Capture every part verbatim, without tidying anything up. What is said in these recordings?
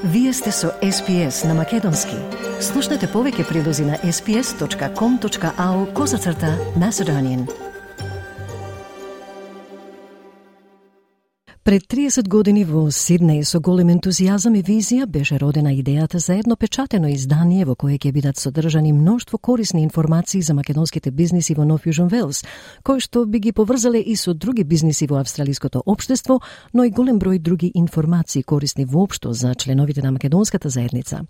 Вие сте со Ес Пи Ес на Македонски. Слушнете повеќе прилози на ес пи ес точка ком точка ау козацрта Macedonian. Пред триесет години во Сиднеј со голем ентузијазам и визија беше родена идејата за едно печатено издание во кое ќе бидат содржани мноштво корисни информации за македонските бизниси во Нов Јужен Велс, кои што би ги поврзале и со други бизниси во австралиското општество, но и голем број други информации корисни воопшто за членовите на македонската заедница.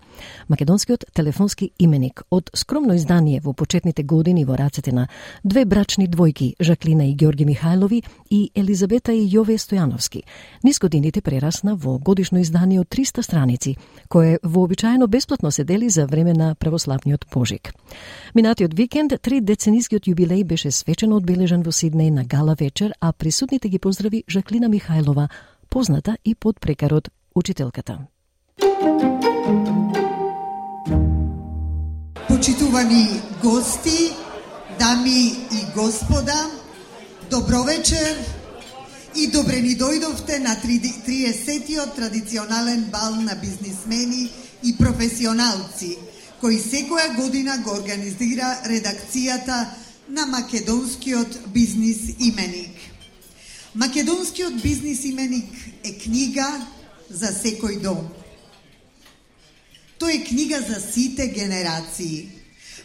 Македонскиот телефонски именик од скромно издание во почетните години во рацете на две брачни двојки, Жаклина и Ѓорги Михајлови и Елизабета и Јове Стојановски, низ годините прерасна во годишно издание од триста страници, кое вообичаено бесплатно се дели за време на православниот пожик. Минатиот викенд, три деценискиот јубилеј беше свечено одбележан во Сиднеј на гала вечер, а присутните ги поздрави Жаклина Михајлова, позната и под прекарот учителката. Почитувани гости, дами и господа, добро вечер и добре ни дојдовте на триесеттиот традиционален бал на бизнисмени и професионалци, кој секоја година го организира редакцијата на Македонскиот бизнис именик. Македонскиот бизнис именик е книга за секој дом. Тој е книга за сите генерации.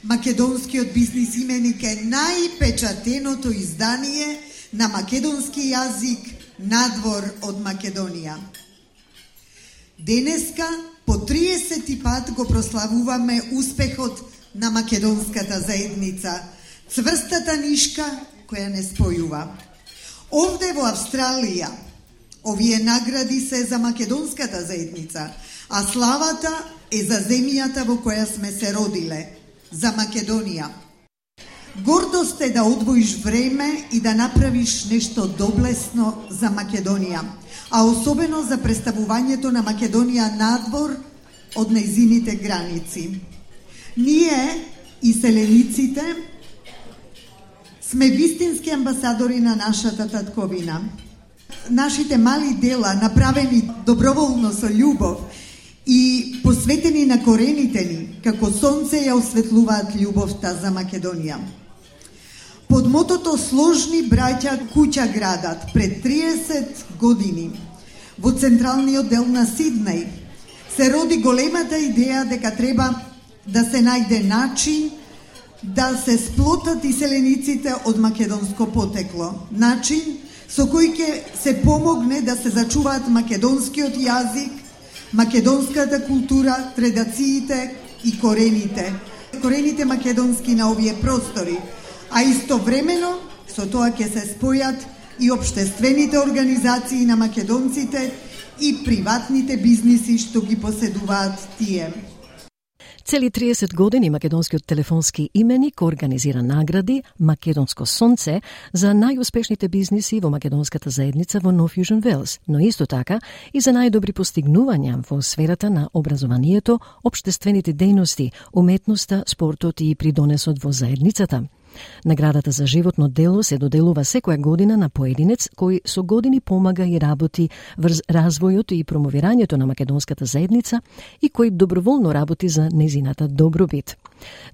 Македонскиот бизнис именик е најпечатеното издание на македонски јазик надвор од Македонија. Денеска по триесети пат го прославуваме успехот на македонската заедница, цврстата нишка која не спојува. Овде во Австралија овие награди се за македонската заедница, а славата е за земјата во која сме се родиле, за Македонија. Гордост е да одвоиш време и да направиш нешто доблесно за Македонија, а особено за представувањето на Македонија надвор од нејзините граници. Ние, иселениците, сме вистински амбасадори на нашата татковина. Нашите мали дела, направени доброволно со љубов и посветени на корените ни, како сонце ја осветлуваат љубовта за Македонија. Под мотото "Сложни браќа куќа градат" пред триесет години во централниот дел на Сиднеј се роди големата идеја дека треба да се најде начин да се сплотат иселениците од македонско потекло, начин со кој ќе се помогне да се зачуваат македонскиот јазик, македонската култура, традициите и корените, корените македонски на овие простори, а истовремено со тоа ќе се спојат и општествените организации на македонците и приватните бизниси што ги поседуваат тие. Цели триесет години македонскиот телефонски именик организира награди Македонско сонце за најуспешните бизниси во македонската заедница во Нов Јужен Велс, но исто така и за најдобри постигнувања во сферата на образованието, општествените дејности, уметноста, спортот и придонесот во заедницата. Наградата за животно дело се доделува секоја година на поединец кој со години помага и работи врз развојот и промовирањето на македонската заедница и кој доброволно работи за незината добробит.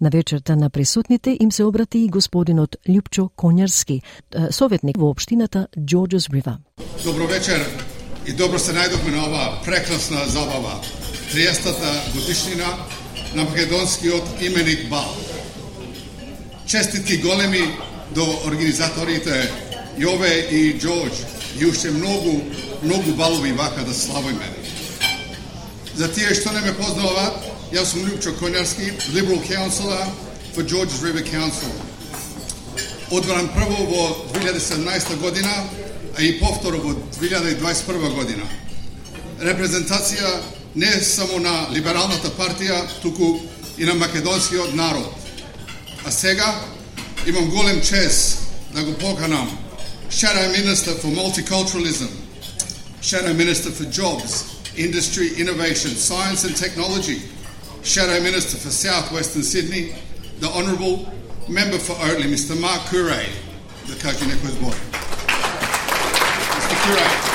На вечерта на присутните им се обрати и господинот Љупчо Коњарски, советник во општината Џорџес Ривер. Добро вечер и добро се најдовме на оваа прекрасна забава, триесеттата годишнина на македонскиот именик бал. Честитки големи до организаторите Јове и Џорџ и уште многу, многу балови вака да славиме. За тие што не ме познаваат, јас сум Љупчо Коњарски, Liberal Councillor for Џорџес Ривер Council. Одбран прво во две илјади и седнаесета година, а и повторо во две илјади и дваесет и прва година. Репрезентација не само на либералната партија, туку и на македонскиот народ. А сега имам голем чест да го поканам Shadow Minister for Multiculturalism, Shadow Minister for Jobs, Industry, Innovation, Science and Technology, Shadow Minister for South Western Sydney, the Honourable Member for Oatley, Mister Mark Curray, the кажи некој збор. Mister Curray.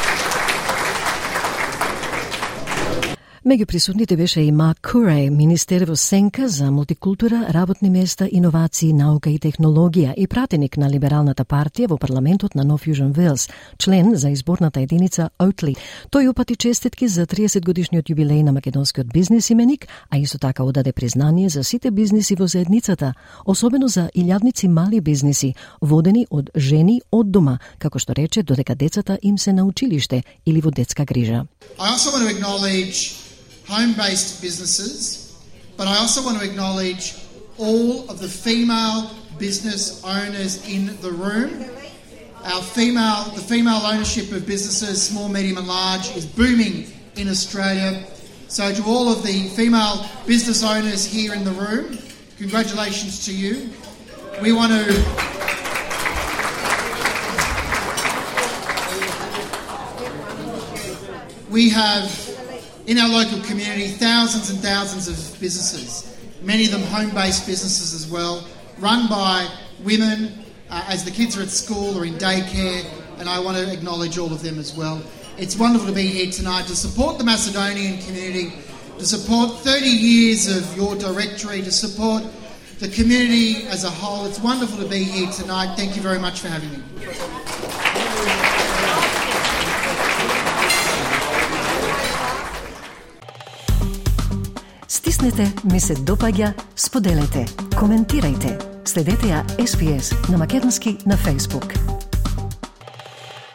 Меѓу присутните беше и Мак Курей, министер во сенка за мултикултура, работни места, иновации, наука и технологија и пратеник на Либералната партија во парламентот на Нов Јужен Велс, член за изборната единица Оутли. Тој упати честитки за триесет годишниот јубилеј на македонскиот бизнис именик, а исто така одаде признание за сите бизниси во заедницата, особено за илјадници мали бизниси, водени од жени од дома, како што рече, додека децата им се на училиште или во детска грижа. I also want to acknowledge home-based businesses, but I also want to acknowledge all of the female business owners in the room. Our female, the female ownership of businesses, small, medium and large, is booming in Australia. So to all of the female business owners here in the room, congratulations to you. We want to... We have, in our local community, thousands and thousands of businesses, many of them home-based businesses as well, run by women uh, as the kids are at school or in daycare, and I want to acknowledge all of them as well. It's wonderful to be here tonight to support the Macedonian community, to support thirty years of your directory, to support the community as a whole. It's wonderful to be here tonight. Thank you very much for having me. Стиснете, ми се допаѓа, споделете, коментирајте. Следете ја Ес Би Ес на македонски на Facebook.